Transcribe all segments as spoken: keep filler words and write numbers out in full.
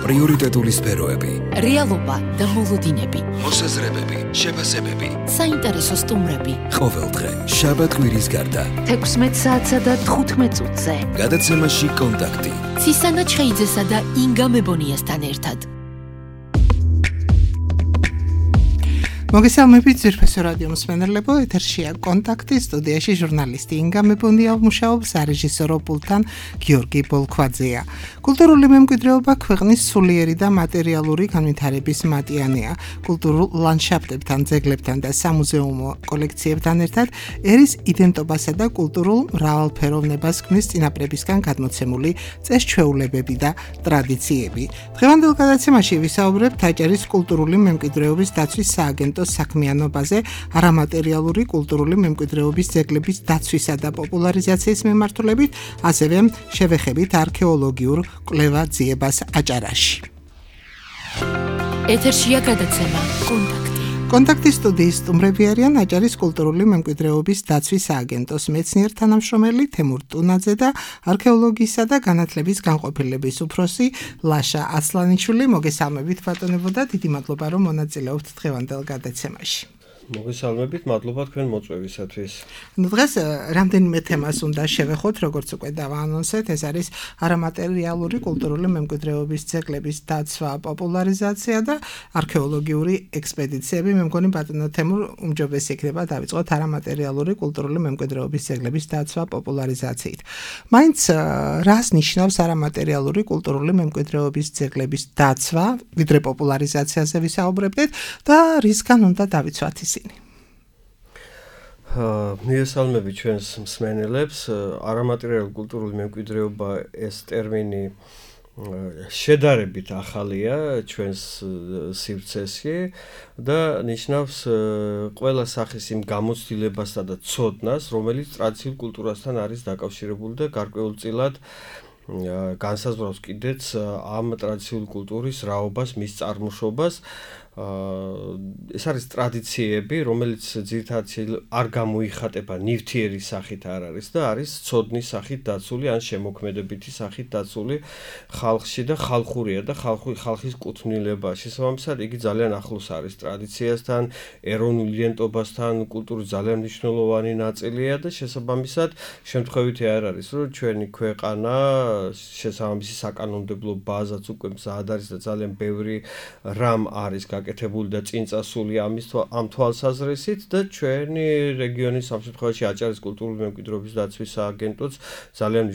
პრიორიტეტული სფეროები, რეალობა და მოლოდინები, მოსაზრებები, შეფასებები, საინტერესო სტუმრები. ყოველდღე შაბათ-კვირის გარდა თექვსმეტ საათსა და თხუთმეტ წუთზე გადაცემაში კონტაქტი ცისანა ჩხეიძესა და ინგა მებონიასთან ერთად. მოგესალმებით ძვირფასო რადიო მსმენელებო, ეთერშია კონტაქტი, სტუდიაში ჟურნალისტი ინგა მებონია მუშაობს, რეჟისორო პულტთან გიორგი ბოლქვაძეა. კულტურული მემკვიდრეობა ქვეყნის სულიერი და მატერიალური განვითარების მატიანეა. კულტურულ ლანდშაფტებთან, ძეგლებთან და სამუზეუმო კოლექციებთან ერთად ერის იდენტობასა და კულტურულ მრავალფეროვნებას ქმნის წინაპრებისგან გადმოცემული წესჩვეულებები და ტრადიციები. დღევანდელ გადაცემაში ვისაუბრებთ აჭარის კულტურული მემკვიდრეობის დაცვის სააგენტოს საქმიანობაზე, არამატერიალური კულტურული მემკვიდრეობის ძეგლების დაცვისა და პოპულარიზაციის მიმართულებით, ასევე შევეხებით არქეოლოგიურ კვლევა-ძიებას აჭარაში. ეთერშია გადაცემა კონტაქტი. კონტაქტის სტუდიის სტუმრები არიან აჭარის კულტურული მემკვიდრეობის დაცვის სააგენტოს მეცნიერ თანამშრომელი თემურ ტუნაძე და არქეოლოგიისა და განათლების განყოფილების უფროსი ლაშა ასლანიშვილი. მოგესალმებით ბატონებო და დიდი მადლობა რომ მონაწილეობთ დღევანდელ გადაცემაში. მოგესალმებით, მადლობა თქვენ მოწვევისათვის. ნუ დღეს რამდენიმე თემას უნდა შევეხოთ, როგორც უკვე დავაანონსეთ, ეს არის არამატერიალური კულტურული მემკვიდრეობის ძეგლების დაცვა, პოპულარიზაცია და არქეოლოგიური ექსპედიციები. მე მგონი ბატონო თემურ უმჯობესი იქნება დავიწყოთ არამატერიალური კულტურული მემკვიდრეობის ძეგლების დაცვა, პოპულარიზაციით. მაინც რას ნიშნავს არამატერიალური კულტურული მემკვიდრეობის ძეგლების დაცვა, ვიდრე პოპულარიზაციაზე ვისაუბრებდით და რისგან უნდა დავიცვათ ისინი? მიესალმები ჩვენს მსმენელებს. არამატერიალური კულტურული მემკვიდრეობა ეს ტერმინი შედარებით ახალია ჩვენს სივრცეში და ნიშნავს ყველა სახის იმ გამოცდილებასა და ცოდნას, რომელიც ტრადიციულ კულტურასთან არის დაკავშირებული და გარკვეულწილად განსაზღვრავს კიდეც ამ ტრადიციული კულტურის რაობას, მის წარმოშობას. ეს არის ტრადიციები, რომელიც ძირითადად არ გამოიხატება ნივთიერი სახით არ არის და არის ცოდნის სახით დაცული ან შემოქმედებითი სახით დაცული ხალხში და ხალხურია და ხალხი ხალხის კუთვნილება. შესაბამისად, იგი ძალიან ახლოს არის ტრადიციასთან, ეროვნულ იდენტობასთან, კულტურის ძალიან მნიშვნელოვანი ნაწილია და შესაბამისად, შემთხვევითი არ არის, რომ ჩვენი ქვეყანა შესაბამისი საკანონმდებლო ბაზაც უკვე მზად არის და ძალიან ბევრი რამ არის გაკეთებული და წინ წასული ამის ამ თვალსაზრისით და ჩვენი რეგიონის ამ შემთხვევაში აჭარის კულტურული მემკვიდრეობის დაცვის სააგენტოც ძალიან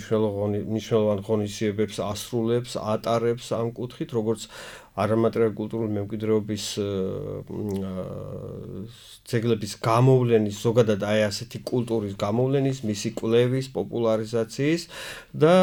მნიშვნელოვან ღონისძიებებს ასრულებს, ატარებს ამ კუთხით, როგორც არამატერიალური კულტურული მემკვიდრეობის ძეგლების გამოვლენის, ზოგადად აი ასეთი კულტურის გამოვლენის, მისი კვლევის, პოპულარიზაციის და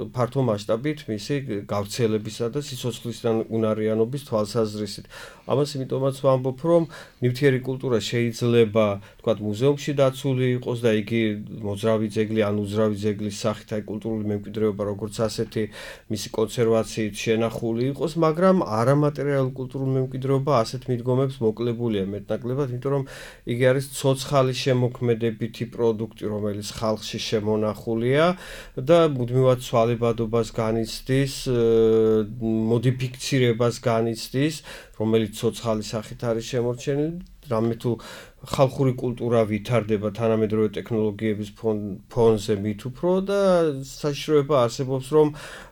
ფართო მასშტაბით მისი გავრცელებისა და სიცოცხლისთან უნარიანობის თვალსაზრისით. ამას იმიტომაც ვამბობ, რომ ნივთიერი კულტურა შეიძლება, თქვათ, მუზეუმში დაცული იყოს და იგი მოძრავი ძეგლი ან უძრავი ძეგლის სახით აი კულტურული მემკვიდრეობა როგორც ასეთი მისი კონსერვაციით შენახული იყოს, მაგრამ არამატერიალური კულტურული მემკვიდრეობა ასეთ მიდგომებს მოკლებულია მეტნაკლებად, იმიტომ რომ იგი არის ცოცხალი შემოქმედებითი პროდუქტი, რომელიც ხალხში შემონახულია და მუდმივად ცვალებადობას განიცდის, მოდიფიცირებას განიცდის, რომელიც ცოცხალი სახით არის შემორჩენილი. რამე თუ ხალხური კულტურა ვითარდება თანამედროვე ტექნოლოგიების ფონზე მით უფრო და საშიშროება არსებობს, რომ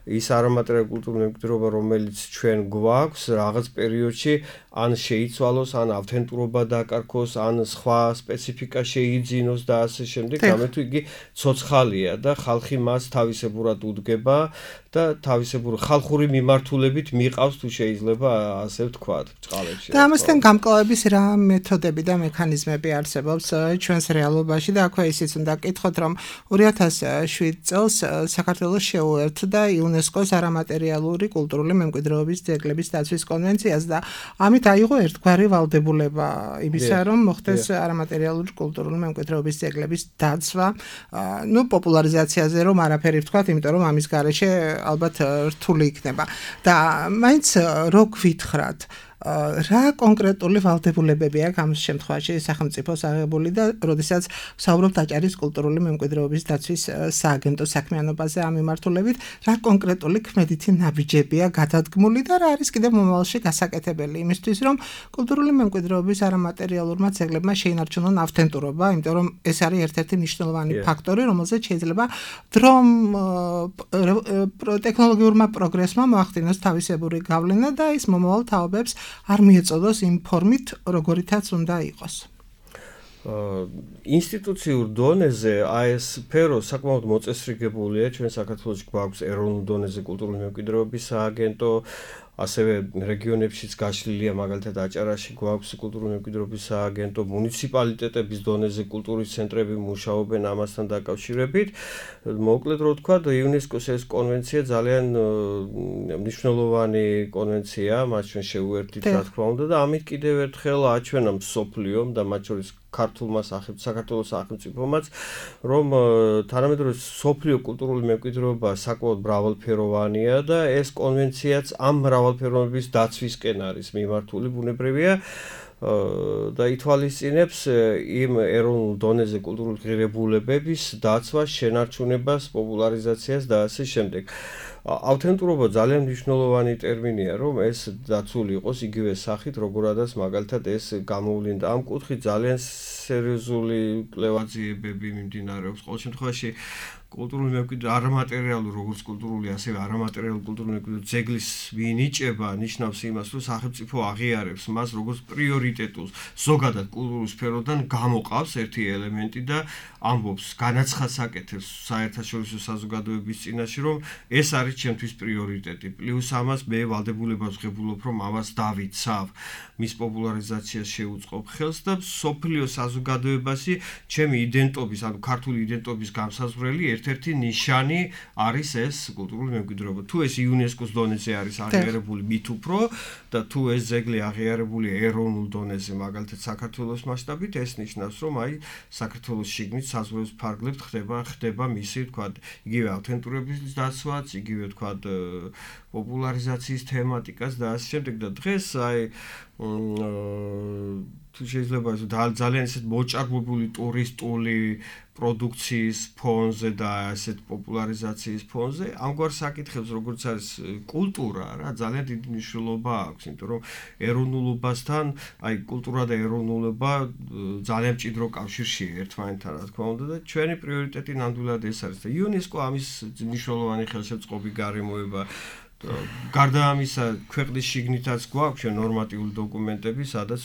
ის არამატერიალური კულტურული მემკვიდრეობა, რომელიც ჩვენ გვაქვს, რაღაც პერიოდში ან შეიცვალოს, ან ავთენტურობა დაკარგოს, ან სხვა სპეციფიკა შეიძინოს და ასე შემდეგ, რამე თუ იგი ცოცხალია და ხალხი მას თავისებურად უდგება და თავისებური ხალხური მიმართულებით მიყავს თუ შეიძლება ასე ვთქვათ, ბჭყალებში. და ამასთან გამკლავების რა მეთოდები და მექანიზმები არსებობს ჩვენს რეალობაში და აქვე ისიც უნდა გკითხოთ, რომ ორი ათას შვიდ წელს საქართველოს შეუერთდა იუნესკოს არამატერიალური კულტურული მემკვიდრეობის ძეგლების დაცვის კონვენციას და ამით აიღო ერთგვარი ვალდებულება იმისა, რომ მოხდეს არამატერიალური კულტურული მემკვიდრეობის ძეგლების დაცვა, ნუ პოპულარიზაციაზე რომ არაფერი ვთქვათ, იმიტომ რომ ამის გარეშე ალბათ რთული იქნება. და მაინც რო გვითხრათ, რა კონკრეტული ვალდებულებებია ამ შემთხვევაში სახელმწიფოს აღებული და როდესაც ვსაუბრობთ აჭარის კულტურული მემკვიდრეობის დაცვის სააგენტოს საქმიანობაზე ამ მიმართულებით, რა კონკრეტული ქმედითი ნაბიჯებია გადადგმული და რა არის კიდევ მომავალში გასაკეთებელი იმისთვის, რომ კულტურული მემკვიდრეობის არამატერიალურმა ძეგლებმა შეინარჩუნონ ავთენტურობა, იმიტომ რომ ეს არის ერთ-ერთი მნიშვნელოვანი ფაქტორი, რომელზეც შეიძლება დრომ ტექნოლოგიურმა პროგრესმა მოახდინოს თავისებური გავლენა და ის მომავალ თაობებს არ მიეწოდოს იმ ფორმით, როგორითაც უნდა იყოს. ინსტიტუციურ დონეზე აი ეს სფერო საკმაოდ მოწესრიგებულია, ჩვენ საქართველოში გვაქვს ეროვნულ დონეზე კულტურული მემკვიდრეობის სააგენტო, ასევე რეგიონებშიც გაშლილია, მაგალითად აჭარაში გვაქვს კულტურული მემკვიდრეობის სააგენტო, მუნიციპალიტეტების დონეზე კულტურის ცენტრები მუშაობენ ამასთან დაკავშირებით. მოკლედ რო ვთქვა, იუნესკოს ეს კონვენცია ძალიან მნიშვნელოვანი კონვენციაა, მას ჩვენ შევუერთდით, რა თქმა უნდა, და ამით კიდევ ერთხელ აჩვენა მსოფლიომ და მათ შორის ქართულმა საქართველოს სახელმწიფომაც, რომ თანამედროვე მსოფლიო კულტურული მემკვიდრეობა საკმაოდ მრავალფეროვანია და ეს კონვენციაც ამ მრავალფეროვნების დაცვისკენ არის მიმართული, ბუნებრივია და ითვალისწინებს იმ ეროვნულ დონეზე კულტურული ღირებულებების დაცვას, შენარჩუნებას, პოპულარიზაციას და ასე შემდეგ. ავთენტურობა ძალიან მნიშვნელოვანი ტერმინია, რომ ეს დაცული იყოს იგივე სახით, როგორადაც მაგალითად ეს გამოვლინდა. ამ კუთხით ძალიან სერიოზული კვლევაძიებები მიმდინარეობს. ყოველ შემთხვევაში კულტურული მემკვიდრე არამატერიალური, როგორც კულტურული, ასევე არამატერიალური კულტურული მემკვიდრეობის ძეგლის მინიჭება ნიშნავს იმას, რომ სახელმწიფო აღიარებს მას როგორც პრიორიტეტულს, ზოგადად კულტურულ სფეროდან გამოყავს ერთი ელემენტი და ამბობს, განაცხადს აკეთებს საერთაშორისო საზოგადოების წინაშე, რომ ეს არის ჩემთვის პრიორიტეტი. პლუს ამას მე ვალდებულებას ვღებულობ, რომ ამას დავიცავ, მის პოპულარიზაციას შევუწყობ ხელს და სოფლიო საზოგადოებაში ჩემი იდენტობის, ანუ ქართული იდენტობის გამსაზღვრელი ერთ-ერთი ნიშანი არის ეს კულტურული მემკვიდრეობა. თუ ეს იუნესკოს დონეზე არის აღიარებული მით უფრო და თუ ეს ძეგლი აღიარებული ეროვნულ დონეზე, მაგალითად საქართველოს მასშტაბით, ეს ნიშნავს, რომ აი საქართველოს შიგნით საზღვრების ფარგლებს ხდება ხდება მისი, თქვა, იგივე ავთენტურობის დაცვაც, იგივე თქვა, პოპულარიზაციის თემატიკას და ასე შემდეგ და დღეს აი თუ შეიძლება ძალიან ისეთ მოჭარბებული ტურისტული პროდუქციის ფონზე და ასეთ პოპულარიზაციის ფონზე ამგვარ საკითხებს, როგორც არის კულტურა, რა, ძალიან დიდი მნიშვნელობა აქვს, იმიტომ რომ ეროვნულობასთან, აი კულტურა და ეროვნულობა ძალიან მჭიდრო კავშირშია ერთმანეთთან, რა თქმა უნდა და ჩვენი პრიორიტეტი ნამდვილად ეს არის და იუნესკო ამის მნიშვნელოვანი ხელშეწყობი გარემოება. გარდა ამისა, ქვეყნის შიგნითაც გვაქვს ნორმატიული დოკუმენტები, სადაც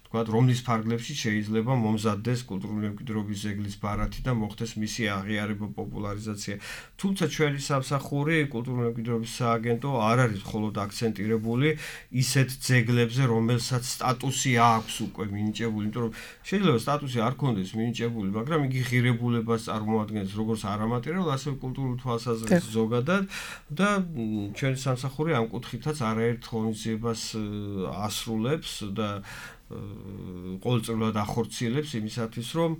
თქვა, რომლის ფარგლებში შეიძლება მომზადდეს კულტურული მემკვიდრეობის ძეგლის ბარათი და მოხდეს მისი აღიარება, პოპულარიზაცია. თუმცა ჩვენი სამსახური კულტურული მემკვიდრეობის სააგენტო არ არის მხოლოდ აქცენტირებული ისეთ ძეგლებზე, რომელსაც სტატუსი აქვს უკვე მინიჭებული, იმიტომ რომ შეიძლება სტატუსი არ ქონდეს მინიჭებული, მაგრამ იგი ღირებულებას წარმოადგენს როგორც არამატერიალურ, ასევე კულტურულ თვალსაზრისით ზოგადად და ჩვენი სამსახური ამ კუთხითაც არაერთ ღონისძიებას ასრულებს და ყოველწლიურად ახორციელებს იმისათვის, რომ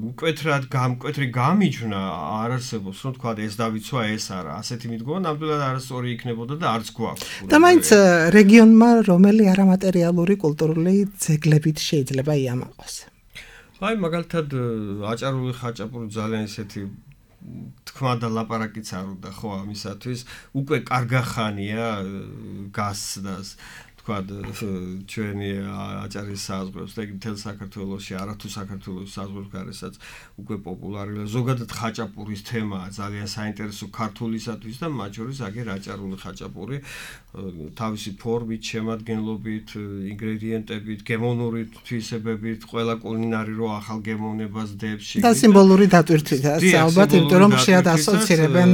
მკვეთრად გამკვეთრი გამიჯვნა არ არსებობს, რომ თქვა ეს დავიცვა, ეს არა. ასეთი მიდგომა ნამდვილად არასწორი იქნებოდა და არც გვაქვს. და მაინც რეგიონმა რომელი არამატერიალური კულტურული ძეგლებით შეიძლება იამაყოს? აი მაგალითად აჭარული ხაჭაპური ძალიან ისეთი თქმა და ლაპარაკიც არ უნდა ხო ამისათვის, უკვე კარგახანია გასცდას. ჩვენი აჭარის საზღვრებს და მთელ საქართველოში, არათუ საქართველოს საზღვრებს გარესაც უკვე პოპულარულია. ზოგადად ხაჭაპურის თემაა ძალიან საინტერესო ქართულისათვის და მათ შორის აგერ აჭარული ხაჭაპური თავისი ფორმით, შემადგენლობით, ინგრედიენტებით, გემოვნური თვისებებით, ყველა კულინარი რო ახალ გემოვნებას დებს და სიმბოლური დატვირთვითაც, ალბათ, იმიტომ რომ ხშირად ასოცირებენ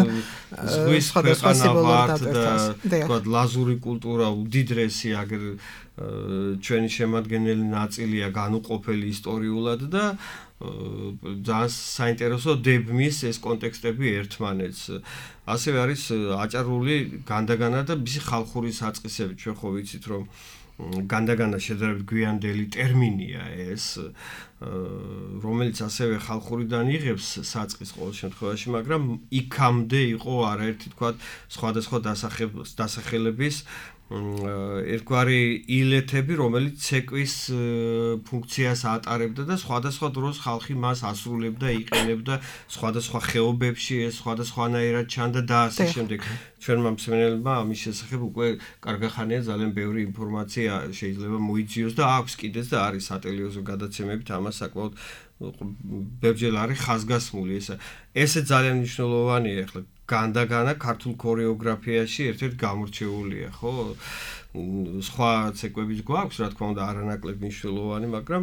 ზღვის ქვეყანავართ და თქვა ლაზური კულტურა უდიდრესი აგერ ჩვენი შემადგენელი ნაწილია განუყოფელი ისტორიულად და ძალიან საინტერესო დებმის ეს კონტექსტები ერთმანეთს. ასევე არის აჭარული განდაგანა და მისი ხალხური საწყისები. ჩვენ ხო ვიცით, რომ განდაგანა შედარებით გვიანდელი ტერმინია ეს რომელიც ასევე ხალხურიდან იღებს საწყის ყოველ შემთხვევაში, მაგრამ იქამდე იყო არაერთი თქვა სხვადასხვა დასახელების ერთგვარი ილეთები, რომელიც ცეკვის ფუნქციას ატარებდა და სხვადასხვა დროს ხალხი მას ასრულებდა, იყენებდა სხვადასხვა ხეობებში, ეს სხვადასხვანაირად ჩანდა და ასე შემდეგ. ჩვენმა მსმენელებმა ამის შესახებ უკვე კარგახანია ძალიან ბევრი ინფორმაცია შეიძლება მოიძიოს და აქვს კიდეც და არის სატელევიზიო გადაცემებით ამას საკმაოდ ბევრჯერ არის ხაზგასმული ესა. ესე ძალიან მნიშვნელოვანია ახლა განდაგანა ქართულ ქორეოგრაფიაში ერთ-ერთი გამორჩეულია, ხო? სხვა ცეკვებიც გვაქვს, რა თქმა უნდა, არანაკლებ მნიშვნელოვანი, მაგრამ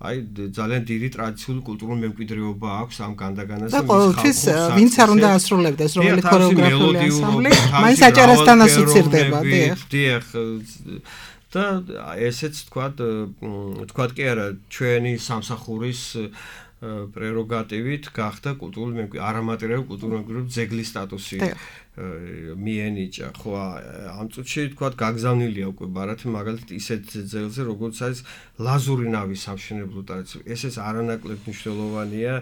აი ძალიან დიდი ტრადიციული კულტურული მემკვიდრეობა აქვს ამ განდაგანას და ყოველთვის ვინც არ უნდა ასრულებდეს რომელი ქორეოგრაფიული ანსამბლი, მაინც აჭარასთან ასოცირდება, დიახ. დიახ. და ესეც თქვა, თქვა კი არა, ჩვენი სამსახურის პრეროგატივით გახდა კულტურული მემკვიდრე, არამატერიალური კულტურული მემკვიდრეობის ძეგლის სტატუსი მიენიჭა, ხო, ამ წუთში თქვა გაგზავნილია უკვე ბარათი მაგალითად ისეთ ძეგლზე, როგორც არის ლაზური ნავის სამშენებლო ტრადიცია. ესეც არანაკლებ მნიშვნელოვანია,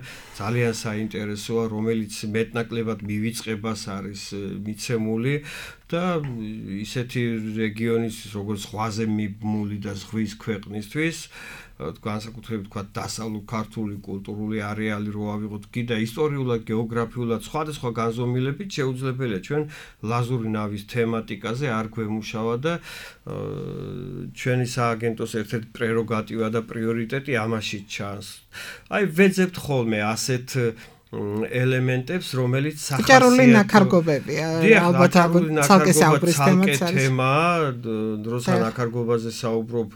ძალიან საინტერესოა, რომელიც მეტნაკლებად მივიწყებას არის მიცემული და ისეთი რეგიონის, როგორც ზღვაზე მიბმული და ზღვის ქვეყნისთვის განსაკუთრებით თქვა დასავლურ ქართული კულტურული არეალი რო ავიღოთ კიდე ისტორიულად, გეოგრაფიულად სხვადასხვა განზომილებით შეუძლებელია ჩვენ ლაზური ნავის თემატიკაზე არ გვემუშავა და ჩვენი სააგენტოს ერთ-ერთი პრეროგატივა და პრიორიტეტი ამაში ჩანს. აი ვეძებთ ხოლმე ასეთ ელემენტებს, რომელიც სახასიათო ჭარული ნაქარგობებია, ალბათ ცალკე საუბრის თემაც არის. თემაა, დროსაც ნაქარგობაზე საუბრობ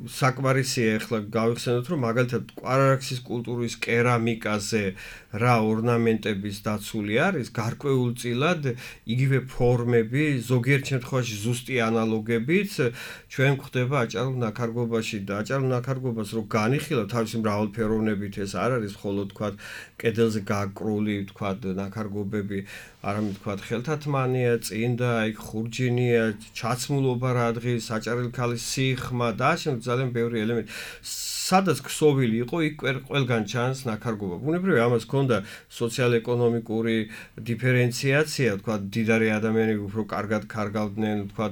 საკმარისია ახლა გავიხსენოთ, რომ მაგალითად კვარარაქსის კულტურის კერამიკაზე რა ორნამენტების დაცული არის, გარკვეულწილად იგივე ფორმები, ზოგიერთ შემთხვევაში ზუსტი ანალოგებით ჩვენ გვხდება აჭარულ ნაქარგობაში და აჭარულ ნაქარგობას რო განიხილავ თავისი მრავალფეროვნებით ეს არ არის მხოლოდ თქვა კედელზე გაკრული თქვა ნაქარგობები, არამედ თქვა ხელთათმანია, წინდა, იქ ხურჯინია, ჩაცმულობა რა დღის, საჭარელი ქალის სიხმა და ასე ძალიან ბევრი ელემენტი. სადაც ქსოვილი იყო, იქ ყველგან ჩანს ნაქარგობა. ბუნებრივია ამას ჰქონდა სოციალ-ეკონომიკური დიფერენციაცია, თქვა დიდარი ადამიანები უფრო კარგად კარგავდნენ, თქვა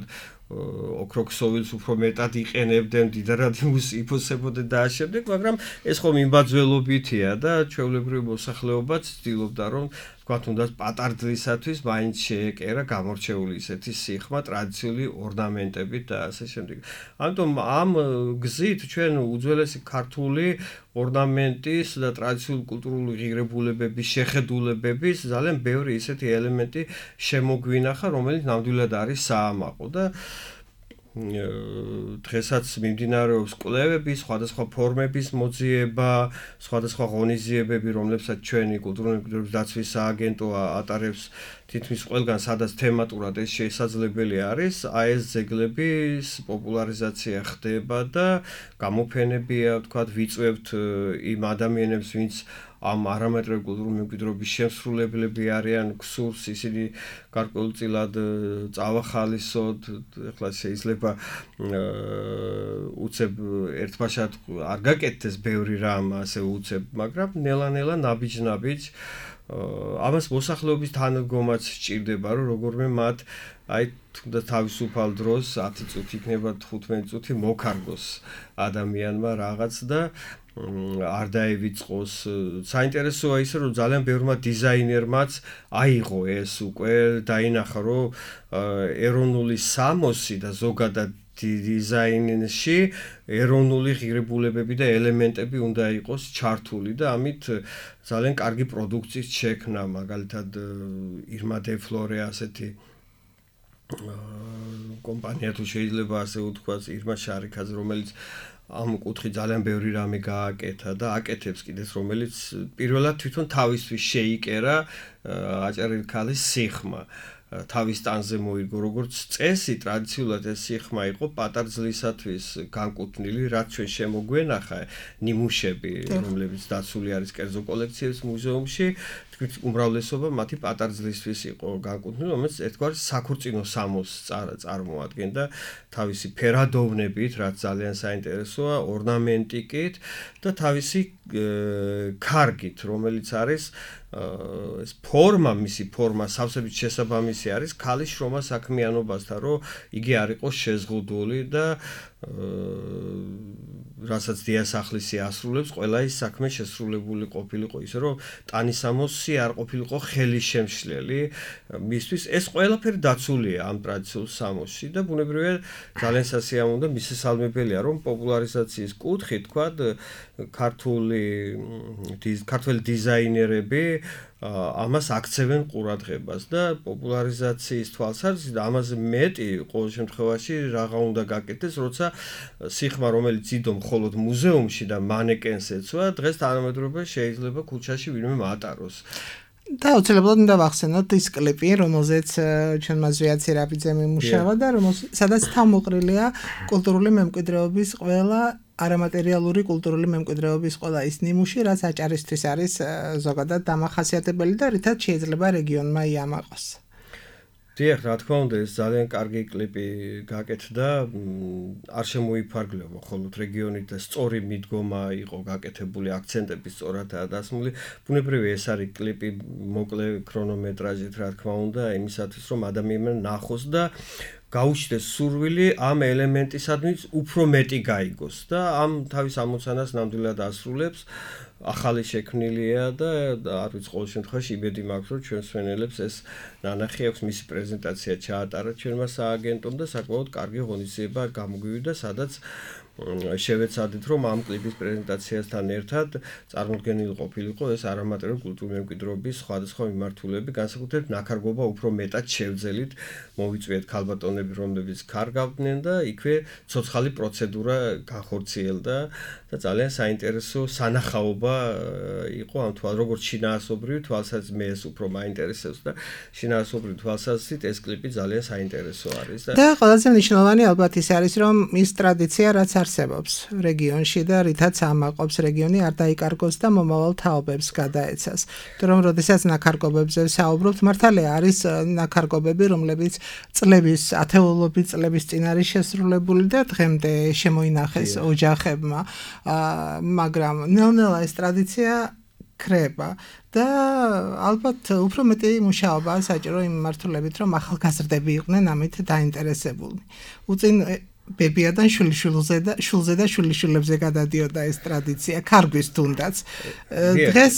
ოქროქსოვილს უფრო მეტად იყენებდნენ, დიდარად იფოსებოდნენ და ამ შემდეგ, მაგრამ ეს ხომ იმბაძველობითია და ჩვეულებრივი მოსახლეობაც ცდილობდა რომ თქვა თუნდაც პატარძლისათვის მაინც შეეკერა გამორჩეული ისეთი სიხმა, ტრადიციული ორნამენტებით და ასე შემდეგ. ამიტომ ამ გზით ჩვენ უძველესი ქართული ორნამენტის და ტრადიციული კულტურული ღირებულებების შეხედულებების ძალიან ბევრი ისეთი ელემენტი შემოგვინახა, რომელიც ნამდვილად არის საამაყო და დღესაც მიმდინარეობს კვლევები, სხვადასხვა ფორმების მოძიება, სხვადასხვა ღონისძიებები, რომლებსაც ჩვენი კულტურული მემკვიდრეობის დაცვის სააგენტო ატარებს თითქმის ყველგან, სადაც თემატურად ეს შესაძლებელი არის, აი ეს ძეგლების პოპულარიზაცია ხდება და გამოფენებია, ვთქვათ, ვიწვევთ იმ ადამიანებს, ვინც ამ არამატერიალური კულტურული მემკვიდრეობის შემსრულებლები არიან, ქსურს ისინი გარკვეულწილად წავახალისოთ, ეხლა შეიძლება უცებ ერთბაშად არ გაკეთდეს ბევრი რამ ასე უცებ, მაგრამ ნელა-ნელა ნაბიჯ-ნაბიჯ ამას მოსახლეობის თანადგომაც სჭირდება, რომ როგორმე მათ აი თუნდაც თავისუფალ დროს ათი წუთი იქნება თხუთმეტი წუთი მოკარგოს ადამიანმა რაღაც და არ დაევიწყოს. საინტერესოა ისე, რომ ძალიან ბევრმა დიზაინერმაც აიღო ეს უკვე დაინახა, რომ ეროვნული სამოსი და ზოგადად დიზაინში ეროვნული ღირებულებები და ელემენტები უნდა იყოს ჩართული და ამით ძალიან კარგი პროდუქციის შექმნა, მაგალითად ირმა დე ფლორე ასეთი კომპანია თუ შეიძლება ასე ვთქვათ, ირმა შარიქაძე, რომელიც ამ კუთხით ძალიან ბევრი რამე გააკეთა და აკეთებს კიდეც, რომელიც პირველად თვითონ თავისთვის შეიკერა აჭარელი ქალის სიხმა. თავის ტანზე მოიგო, როგორც წესი, ტრადიციულად ეს სიხმა იყო პატარძლისათვის განკუთვნილი, რაც ჩვენ შემოგვენახა ნიმუშები, რომლებიც დაცული არის კერძო კოლექციების მუზეუმში, თვით უმრავლესობა მათი პატარძლისთვის იყო განკუთვნილი, რომელიც ერთგვარი საქორწინო სამოსს წარმოადგენდა თავისი ფერადოვნებით, რაც ძალიან საინტერესოა, ორნამენტიკით და თავისი ქარგით, რომელიც არის ეს ფორმა, მისი ფორმა სავსებით შესაბამისი არის ქალის შრომა საქმიანობასთან, რომ იგი არ იყოს შეზღუდული და რასაც დიასახლისი ასრულებს, ყველა ის საქმე შესრულებული ყოფილიყო, ისე რომ ტანისამოსი არ ყოფილიყო ხელის შემშლელი, მისთვის ეს ყველაფერი დაცულია ამ ტრადიციულ სამოსში და ბუნებრივია ძალიან სასიამოვნო და მისასალმებელია, რომ პოპულარიზაციის კუთხით, თქვათ, ქართული ქართველი დიზაინერები ამას აქცევენ ყურადღებას და პოპულარიზაციის თვალსაზრისით ამაზე მეტი ყოველ შემთხვევაში რაღა უნდა გაკეთდეს, როცა სიხმა, რომელიც იდო მხოლოდ მუზეუმში და მანეკენს ეცვა, დღეს თანამედროვე შეიძლება ქუჩაში ვინმე მატაროს. და უცებრად უნდა ვახსენოთ ის კლიპი, რომელზეც ჩვენმა ზვიად სირაფიძემ იმუშავა და სადაც თავმოყრილია კულტურული მემკვიდრეობის ყველა არამატერიალური კულტურული მემკვიდრეობის ყველა ის ნიმუში, რაც აჭარისთვის არის ზოგადად დამახასიათებელი და რითაც შეიძლება რეგიონმა იამაყოს. დიახ, რა თქმა უნდა, ეს ძალიან კარგი კლიპი გაკეთდა, არ შემოიფარგლება მხოლოდ რეგიონით და სწორი მიდგომა იყო გაკეთებული, აქცენტები სწორადაა დასმული. ბუნებრივია ეს არის კლიპი მოკლე ქრონომეტრაჟით, რა თქმა უნდა, იმისათვის, რომ ადამიანმა ნახოს და გაუჩნდეს სურვილი ამ ელემენტისადმი უფრო მეტი გაიგოს და ამ თავის ამოცანას ნამდვილად ასრულებს. ახალი შექმნილია და არ ვიცი ყოველ შემთხვევაში იმედი მაქვს, რომ ჩვენ სვენელებს ეს ნანახი აქვს, მისი პრეზენტაცია ჩაატარა ჩვენმა სააგენტომ და საკმაოდ კარგი ღონისძიება გამოგვივიდა, სადაც შევეცადეთ, რომ ამ კლიპის პრეზენტაციასთან ერთად წარმოდგენილი ყოფილიყო ეს არამატერიალური კულტურული მემკვიდრეობის სხვადასხვა მიმართულები, განსაკუთრებით ნაქარგობა უფრო მეტად შევძელით, მოვიწვიეთ ქალბატონები, რომლებიც ქარგავდნენ და იქვე ცოცხალი პროცედურა განხორციელდა და ძალიან საინტერესო სანახაობა იყო ამ თვალ, როგორც შინაარსობრივი თვალსაზრისით მე ეს უფრო მაინტერესებს და შინაარსობრივი თვალსაზრისით ეს კლიპი ძალიან საინტერესო არის და და ყველაზე მნიშვნელოვანი ალბათ ის არის, რომ ის ტრადიცია რაც არსებობს რეგიონში და რითაც ამაყობს რეგიონი არ დაიკარგოს და მომავალ თაობებს გადაეცას. თუ რომ როდესაც ნაქარგობებზე საუბრობთ, მართალია არის ნაქარგობები, რომლებიც წლების, ათეულობით წლების წინ არის შესრულებული და დღემდე შემოინახეს ოჯახებმა, მაგრამ ნელ-ნელა ეს ტრადიცია ქრება და ალბათ უფრო მეტი მუშაობა საჭირო იმ მიმართულებით, რომ ახალგაზრდები იყვნენ ამით დაინტერესებული. უწინ ბებიადან შვილიშვილზე და შულზე და შვილიშვილებზე გადადიოდა ეს ტრადიცია, ქარგვის თუნდაც. დღეს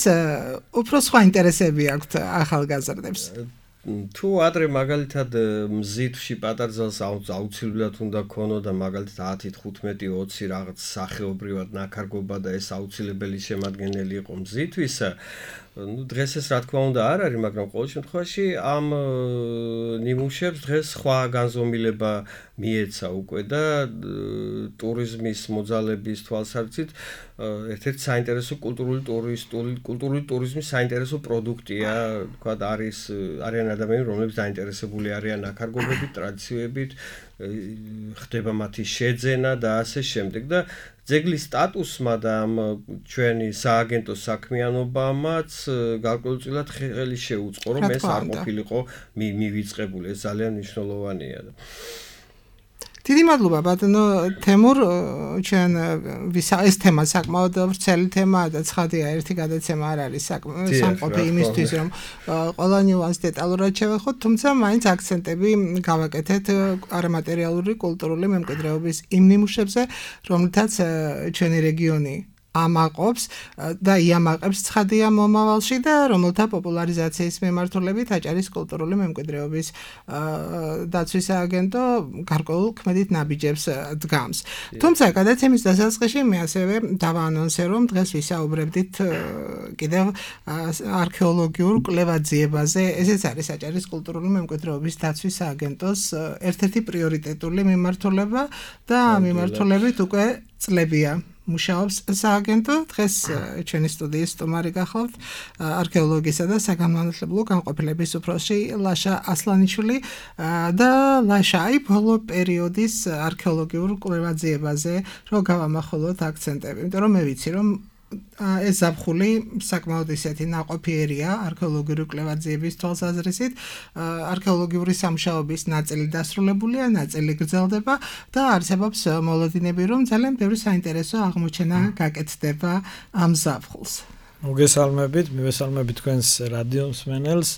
უფრო სხვა ინტერესები აქვთ ახალგაზრდებს. თუ ადრე მაგალითად მზითში პატარძალს აუცილებლად უნდა ქონოდა მაგალითად ათი, თხუთმეტი, ოცი რაღაც სახეობრივად ნაქარგობა და ეს აუცილებელი შემადგენელი იყო მზითვისა, ну დღეს ეს რა თქმა უნდა არ არის, მაგრამ ყოველ შემთხვევაში ამ ნიმუშებს დღეს სხვა განზომილება მიეცა უკვე და ტურიზმის მოძალების თვალსაზრისით ერთ-ერთი საინტერესო კულტურული ტურისტული კულტურული ტურიზმის საინტერესო პროდუქტია, თქვა არის არიან ადამიანები, რომლებიც დაინტერესებული არიან ნაქარგობებით, ტრადიციებით, ხდება მათი შეძენა და ასე შემდეგ და ძეგლის სტატუსმა და ამ ჩვენი სააგენტოს საქმიანობამაც გარკვეულწილად ხელი შეუწყო, რომ ეს არ ყოფილიყო მივიწყებული, ეს ძალიან მნიშვნელოვანია. დიდი მადლობა ბატონო თემურ, ჩვენ ეს თემა საკმაოდ ვრცელი თემაა და ცხადია ერთი გადაცემა არ არის სამყოფი იმისთვის, რომ ყველა ნიუანს დეტალურად შევეხოთ, თუმცა მაინც აქცენტები გავაკეთეთ არამატერიალური კულტურული მემკვიდრეობის იმ ნიმუშებზე, რომლითაც ჩვენი რეგიონი ამაყობს და იამაყებს ცხადია მომავალში და რომელთა პოპულარიზაციის მიმართულებით აჭარის კულტურული მემკვიდრეობის დაცვის სააგენტო გარკვეულ ქმედით ნაბიჯებს დგამს. თუმცა გადაცემის დასაწყისში მე ასევე დავაანონსე, რომ დღეს ვისაუბრებდით კიდევ არქეოლოგიურ კვლევაძიებაზე. ესეც არის აჭარის კულტურული მემკვიდრეობის დაცვის სააგენტოს ერთ-ერთი პრიორიტეტული მიმართულება და მიმართულებით უკვე წლებია მუშაობს სააგენტო. დღეს ჩვენი სტუდიის სტუმარი გახლავთ არქეოლოგისა და საგანმანათლებლო განყოფილების უფროსი ლაშა ასლანიშვილი და ლაშა აი ბოლო პერიოდის არქეოლოგიურ კვლევაძიებაზე რო გავამახვილოთ აქცენტები, იმიტომ რომ მე ვიცი რომ ეს ზაფხული საკმაოდ ისეთი ნაყოფიერია არქეოლოგიური კვლევაძიების თვალსაზრისით. არქეოლოგიური სამუშაოების ნაწილი დასრულებულია, ნაწილი გრძელდება და არსებობს მოლოდინები, რომ ძალიან ბევრი საინტერესო აღმოჩენა გაკეთდება ამ ზაფხულს. მოგესალმებით, მივესალმებით თქვენს რადიო მსმენელს.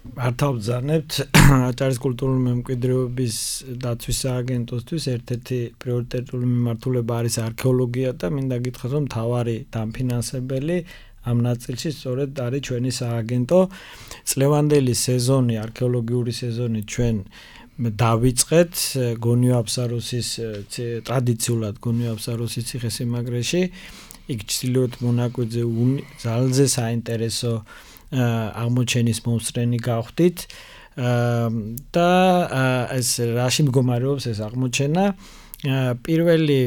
მართავ ბრძანებთ აჭარის კულტურული მემკვიდრეობის დაცვის სააგენტოსთვის ერთ-ერთი პრიორიტეტული მიმართულება არის არქეოლოგია და მინდა გითხრათ რომ მთავარი დამფინანსებელი ამ ნაწილში სწორედ არის ჩვენი სააგენტო. წლევანდელი სეზონი, არქეოლოგიური სეზონი ჩვენ დავიწყეთ გონიო აფსაროსის ტრადიციულად გონიო აფსაროსის ციხესიმაგრეში. იქ ჩრდილოეთ მონაკვეთზე ძალზე საინტერესო აღმოჩენის მომსწრენი გავხდით და ეს რაში მდგომარეობს ეს აღმოჩენა. პირველი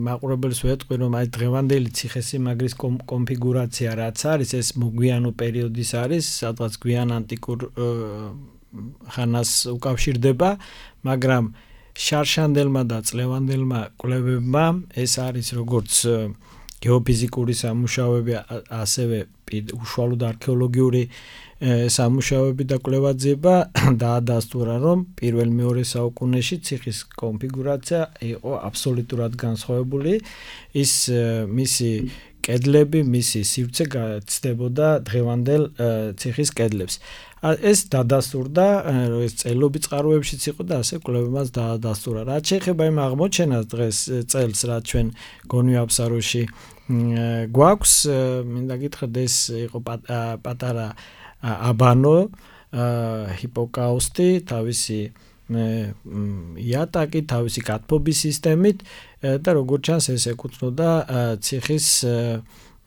მაყურებელს ვეტყვი რომ აი დღევანდელი ციხესიმაგრის კონფიგურაცია რაც არის ეს მოგვიანო პერიოდის არის, სადღაც გვიან ანტიკურ ხანას უკავშირდება, მაგრამ შარშანდელმა და წლევანდელმა კვლევებმა ეს არის როგორც გეოფიზიკური სამუშაოები, ასევე უშუალოდ არქეოლოგიური სამუშაოები და კვლევაძიება დაადასტურა, რომ პირველ-მეორე საუკუნეში ციხის კონფიგურაცია იყო აბსოლუტურად განსხვავებული. ის მისი კედლები, მისი სივრცე გაცდებოდა დღევანდელ ციხის კედლებს. ეს დადასტურდა, ეს წელობი წყაროებშიც იყო და ასე კვლევებმაც დაადასტურა. რაც შეეხება იმ აღმოჩენას დღეს წელს, რაც ჩვენ გონიო აფსაროში გვაქვს, მინდა გითხრათ ეს იყო პატარა აბანო, ჰიპოკაუსტი, თავისი იატაკი, თავისი კათბობის სისტემით და როგორც ჩანს ეს ეკუთვნოდა ციხის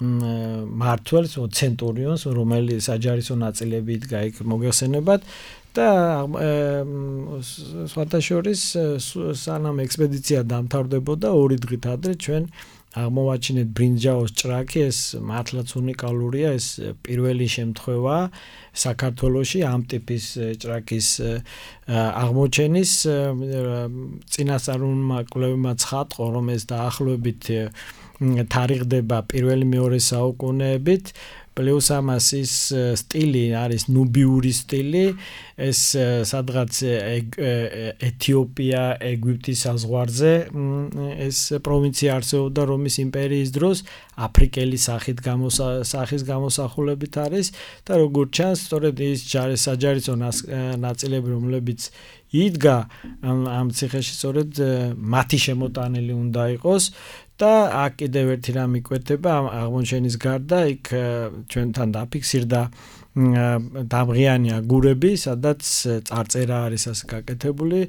მმართველს, ცენტურიონს, რომელიც საჯარისო ნაწილები იდგა იქ მოგეხსენებათ და სხვათა შორის სანამ ექსპედიცია დამთავრდებოდა ორი დღით ადრე ჩვენ აღმოვაჩინეთ ბრინჯაოს ჭრაკი. ეს მართლაც უნიკალურია, ეს პირველი შემთხვევა საქართველოში ამ ტიპის ჭრაკის აღმოჩენის. წინასწარმულმა კვლევებმა ცხადყო, რომ ეს დაახლოებით თარიღდება პირველი-მეორე საუკუნეებით. პლუს ამას ის სტილი არის ნუბიური სტილი, ეს სადღაც ეთიოპია, ეგვიპტის საზღვარზე ეს პროვინცია არსებობდა რომის იმპერიის დროს, აფრიკელი სახით სახის გამოსახულებით არის და როგორც ჩანს, სწორედ ის საჯარისო ნაწილები, რომლებიც იდგა ამ ციხეში, სწორედ მათი შემოტანილი უნდა იყოს. და აქ კიდევ ერთი რამ იკვეთება ამ აღმოჩენის გარდა, იქ ჩვენთან დაფიქსირდა დამღიანი აგურები, სადაც წარწერა არის ასე გაკეთებული.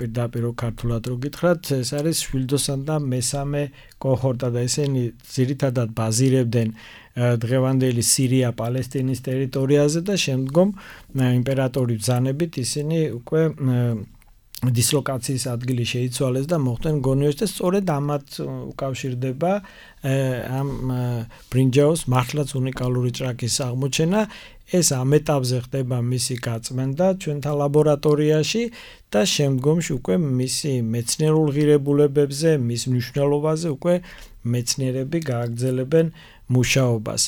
პირდაპირ ქართულად რო გითხრათ, ეს არის შვილდოსან და მესამე კოჰორტა და ესენი ძირითადად ბაზირებდნენ დღევანდელი სირია, პალესტინის ტერიტორიაზე და შემდგომ იმპერატორის ბრძანებით ისინი უკვე დისლოკაციის ადგილი შეიცვალეს და მოხდნენ გონიოში და სწორედ ამათ უკავშირდება ამ ბრინჯაოს მართლაც უნიკალური ჭრაკის აღმოჩენა. ეს ამ ეტაპზე ხდება მისი გაწმენდა ჩვენთან ლაბორატორიაში და შემდგომში უკვე მისი მეცნიერულ ღირებულებებზე, მის მნიშვნელობაზე უკვე მეცნიერები გააგრძელებენ მუშაობას.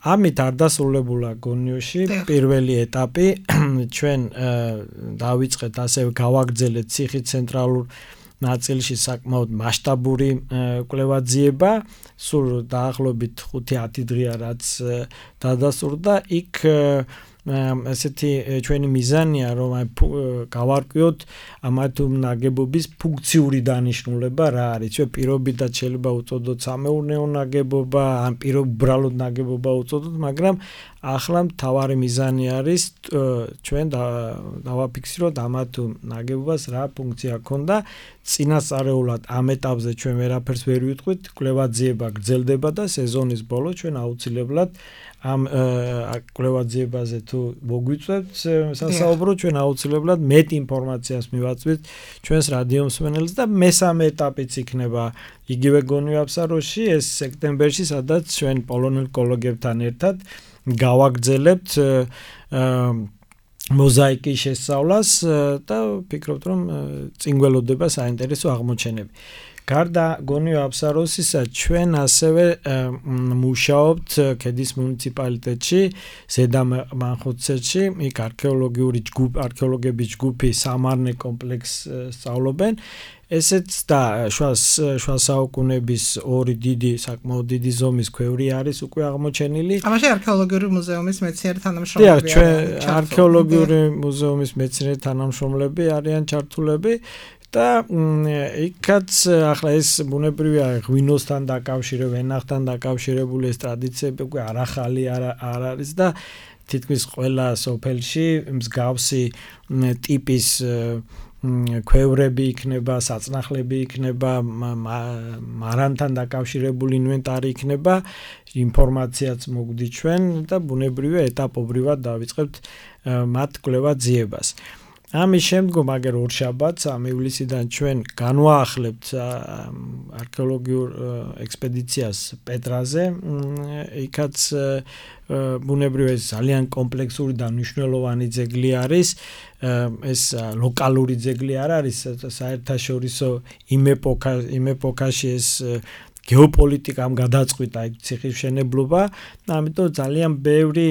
ამით არ დასრულებულა გონიოში პირველი ეტაპი. ჩვენ დავიწყეთ ასევე გავაგრძელეთ ციხის ცენტრალურ ნაწილში საკმაოდ მასშტაბური კვლევაძიება. სულ დაახლოებით ხუთი ათი დღეა რაც დადასტურდა. იქ ესეთი ჩვენი მიზანია რომ აი გავარკვიოთ ამათ ნაგებობის ფუნქციური დანიშნულება რა არის. ჩვენ პირობითად შეიძლება უწოდოთ სამეურნეო ნაგებობა, ან პირობ უბრალოდ ნაგებობა უწოდოთ, მაგრამ ახლა მთავარი მიზანი არის ჩვენ დავაფიქსიროთ ამა თუ ნაგებობას რა ფუნქცია ჰქონდა წინასწარეულად ამ ეტაპზე ჩვენ ვერაფერს ვერ ვიტყვით კვლევაძიება გრძელდება და სეზონის ბოლოს ჩვენ აუცილებლად ამ კვლევაძიებაზე თუ მოგვიწევთ სასაუბრო ჩვენ აუცილებლად მეტ ინფორმაციას მივაწვით ჩვენს რადიო მსმენელს და მესამე ეტაპიც იქნება იგივე გონიო აბსაროში ეს სექტემბერში სადაც ჩვენ პოლონელ კოლეგებთან ერთად გავაგრძელებთ მოზაიკის შესწავლას და ვფიქრობთ რომ წინ გველოდება საინტერესო აღმოჩენები. გარდა გონიო აბსაროსისა ჩვენ ასევე მუშაობთ ქედის მუნიციპალიტეტში, ზედა მანხუთცეთში, იქ არქეოლოგიური ჯგუფი, არქეოლოგების ჯგუფი სამარნე კომპლექსს სწავლობენ. ესეც და შუა შუა საუკუნეების ორი დიდი საკმაოდ დიდი ზომის ქვევრი არის უკვე აღმოჩენილი. ამაში არქეოლოგიური მუზეუმის მეცნიერი თანამშრომლები არიან. ჩვენ არქეოლოგიური მუზეუმის მეცნიერი თანამშრომლები არიან ჩართულები. და იქაც ახლა ეს ბუნებრივია ღვინოსთან დაკავშირებული, ვენახთან დაკავშირებული ეს ტრადიციები უკვე არახალი არ არის და თითქმის ყველა სოფელში მსგავსი ტიპის ქვევრები იქნება, საწნახლები იქნება, მარანთან დაკავშირებული ინვენტარი იქნება, ინფორმაციაც მოგვდით ჩვენ და ბუნებრივია ეტაპობრივად დავიწყებთ მათ კვლევაძიებას. ამის შემდგომ აგერ ორშაბათს ამ ივლისიდან ჩვენ განვაახლებთ არქეოლოგიურ ექსპედიციას პეტრაზე. იქაც ბუნებრივია ძალიან კომპლექსური და მნიშვნელოვანი ძეგლი არის. ეს ლოკალური ძეგლი არ არის, საერთაშორისო იმ ეპოქა იმ ეპოქაში ეს გეოპოლიტიკამ გადაწყვიტა იქ ციხის მშენებლობა, ამიტომ ძალიან ბევრი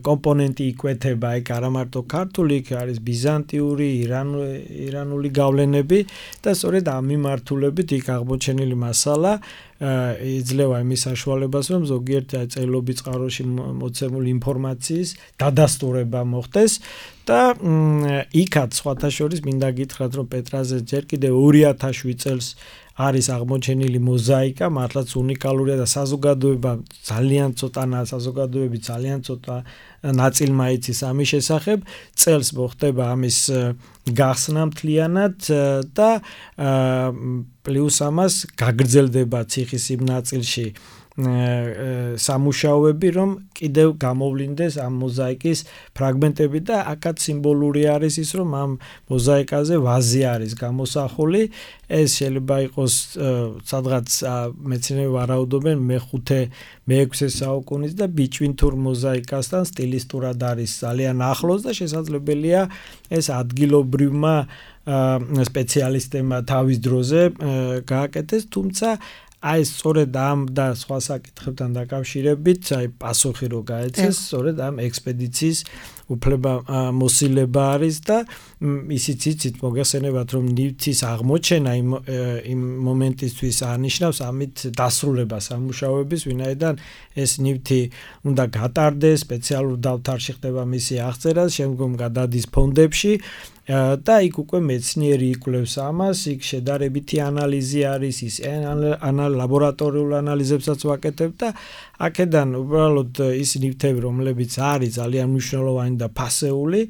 კომპონენტი იკვეთება, იქ არა მარტო ქართული, იქ არის ბიზანტიური, ირანული გავლენები და სწორედ ამ მიმართულებით იქ აღმოჩენილი მასალა იძლევა იმის საშუალებას, რომ ზოგიერთ წელობის წყაროში მოცემული ინფორმაციის დადასტურება მოხდეს და იქაც სხვათა შორის მინდა გითხრათ, რომ პეტრაზე ჯერ კიდევ ორი ათას შვიდ წელს არის აღმოჩენილი მოზაიკა, მართლაც უნიკალურია და საზოგადოება ძალიან ცოტა საზოგადოები ძალიან ცოტა ნაწილმა იცის ამის შესახებ. წელს მოხდება ამის გახსნა მთლიანად და პლუს ამას გაგრძელდება ციხის იმ ნაწილში სამუშაოები, რომ კიდევ გამოვლინდეს ამ მოზაიკის ფრაგმენტები და აქაც სიმბოლური არის ის, რომ ამ მოზაიკაზე ვაზი არის გამოსახული. ეს შეიძლება იყოს სადღაც მეცნიერები ვარაუდობენ მეხუთე მეექვსე საუკუნის და ბიჭვინთურ მოზაიკასთან სტილისტურად არის ძალიან ახლოს და შესაძლებელია ეს ადგილობრივმა სპეციალისტებმა თავის დროზე გააკეთეს, თუმცა აი სწორედ ამ და სხვა საკითხებთან დაკავშირებით, აი პასუხი რო გაეცეს, სწორედ ამ ექსპედიციის უფლება მოსილება არის და ისიც იცით მოგეხსენებათ, რომ ნივთის აღმოჩენა იმ მომენტისთვის არნიშნავს ამით დასრულებას სამუშაოების, ვინაიდან ეს ნივთი უნდა გატარდეს, სპეციალურ დავთარში ხდება მისი აღწერა, შემდგომ გადადის ფონდებში და იქ უკვე მეცნიერი იკვლევს ამას, იქ შედარებითი ანალიზი არის, ის ლაბორატორიულ ანალიზებსაც ვაკეთებ და აქედან უბრალოდ ის ნივთები, რომლებიც არის ძალიან მნიშვნელოვანი და ფასეული,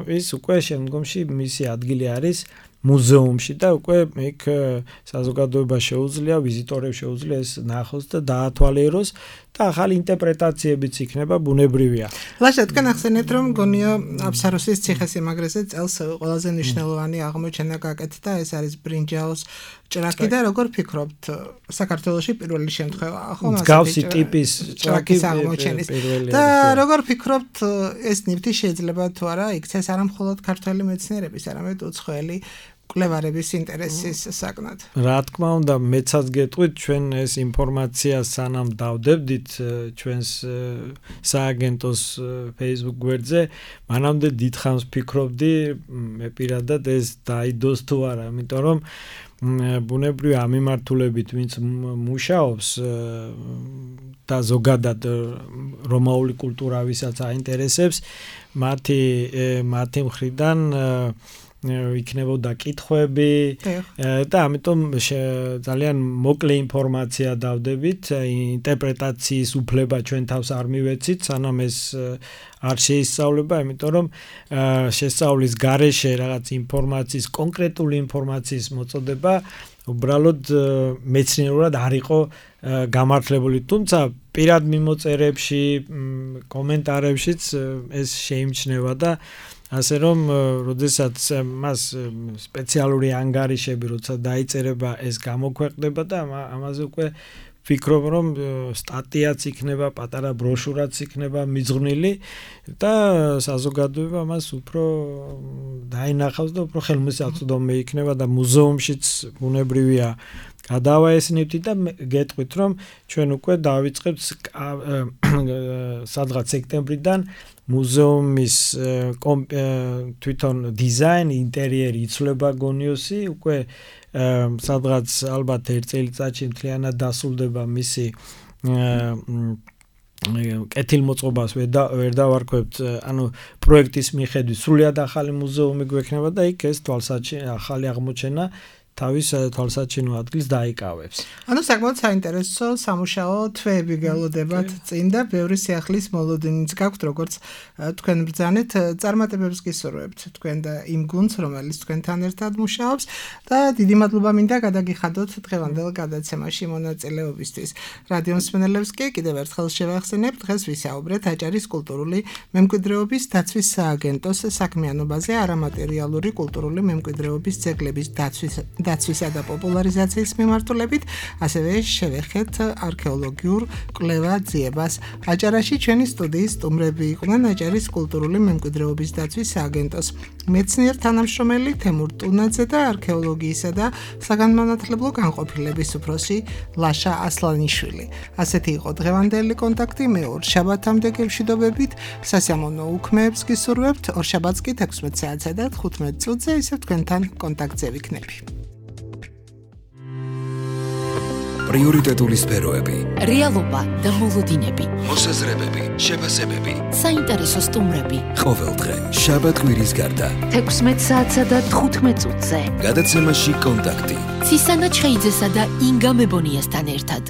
ის უკვე შემდგომში მისი ადგილი არის მუზეუმში და უკვე იქ საზოგადოება შეუძლია, ვიზიტორებს შეუძლია ეს ნახოს და დაათვალიეროს და ახალი ინტერპრეტაციებიც იქნება ბუნებრივია. ლაშა, თქვენ ახსენეთ, რომ გონიო აბსაროსის ციხესიმაგრეზე წელს ყველაზე მნიშვნელოვანი აღმოჩენა გაკეთდა, ეს არის ბრინჯაოს ჭრაკი და როგორ ფიქრობთ, საქართველოში პირველი შემთხვევა, ხო, მსგავსი ტიპის ჭრაკის აღმოჩენის და როგორ ფიქრობთ, ეს ნივთი შეიძლება თუ არა იქცეს არა მხოლოდ ქართველი მეცნიერების, არამედ უცხოელი კვლევარების ინტერესის საკნად. რა თქმა უნდა, მეცაც გეტყვით, ჩვენ ეს ინფორმაცია სანამ დავდებდით ჩვენს სააგენტოს Facebook გვერდზე, მანამდე დიდხანს ფიქრობდი, მე პირადად ეს დაიდოს თუ არა, იმიტომ რომ ბუნებრივია ამ მიმართულებით ვინც მუშაობს და ზოგადად რომაული კულტურა ვისაც აინტერესებს, მათი მათი მხრიდან იქნებოდა კითხვები და ამიტომ ძალიან მოკლე ინფორმაცია დავდებით, ინტერპრეტაციის უფლება ჩვენ თავს არ მივეცით, სანამ ეს არ შეისწავლება, იმიტომ რომ შესწავლის გარეშე რაღაც ინფორმაციის, კონკრეტული ინფორმაციის მოწოდება უბრალოდ მეცნიერულად არ იყო გამართლებული, თუმცა პირად მიმოწერებში, კომენტარებშიც ეს შეიმჩნევა და ასე რომ, როდესაც მას სპეციალური ანგარიშები როცა დაიწერება, ეს გამოქვეყნდება და ამაზე უკვე ვფიქრობ, რომ სტატიაც იქნება, პატარა ბროშურაც იქნება მიძღვნილი და საზოგადოება მას უფრო დაინახავს და უფრო ხელმისაწვდომი იქნება და მუზეუმშიც ბუნებრივია გადავაესნებთ და გეტყვით, რომ ჩვენ უკვე დავიწყებთ სადღაც სექტემბრიდან მუზეუმის თვითონ დიზაინი, ინტერიერი იცვლება გონიოსი, უკვე სადღაც ალბათ ერთ წელიწადში მთლიანად დასრულდება მისი კეთილმოწყობას ვერ დავარქვებთ, ანუ პროექტის მიხედვით სრულიად ახალი მუზეუმი გვექნება და იქ ეს თვალსაჩინო ახალი აღმოჩენა თავის თვალსაჩინო ადგილს დაიკავებს. ანუ საკმაოდ საინტერესო სამუშაო თვეები გელოდებათ წინ და ბევრი სიახლის მოლოდინიც გაქვთ, როგორც თქვენ ბრძანეთ, წარმატებებს გისურვებთ თქვენ და იმ გუნდს, რომელიც თქვენთან ერთად მუშაობს და დიდი მადლობა მინდა გადაგიხადოთ დღევანდელ გადაცემაში მონაწილეობისთვის. რადიო მსმენელებს კი კიდევ ერთხელ შევახსენებთ, დღეს ვისაუბრეთ აჭარის კულტურული მემკვიდრეობის დაცვის სააგენტოს საქმიანობაზე არამატერიალური კულტურული მემკვიდრეობის ძეგლების დაცვის დაცვისა და პოპულარიზაციის მიმართულებით, ასევე შევეხეთ არქეოლოგიურ კვლევა ძიებას. აჭარაში ჩვენი სტუდიის სტუმრები იყვნენ აჭარის კულტურული მემკვიდრეობის დაცვის სააგენტოს მეცნიერ თანამშრომელი თემურ ტუნაძე და არქეოლოგიისა და საგანმანათლებლო განყოფილების უფროსი ლაშა ასლანიშვილი. ასეთი იყო დღევანდელი კონტაქტი, მე ორ შაბათამდე გემშვიდობებით, სასიამოვნო უქმეებს გისურვებთ, ორ შაბათს კი ექვსმეტ საათსა და თხუთმეტ წუთზე ისევ თქვენთან კონტაქტზე ვიქნები. პრიორიტეტული სფეროები, რეალობა და მოლოდინები, მოსაზრებები, შეფასებები, საინტერესო სტუმრები. ყოველდღე შაბათ კვირის გარდა ექვსმეტ საათსა და თხუთმეტ წუთზე. გადაცემაში კონტაქტი. ცისანა ჩხეიძესა და ინგა მებონიასთან ერთად.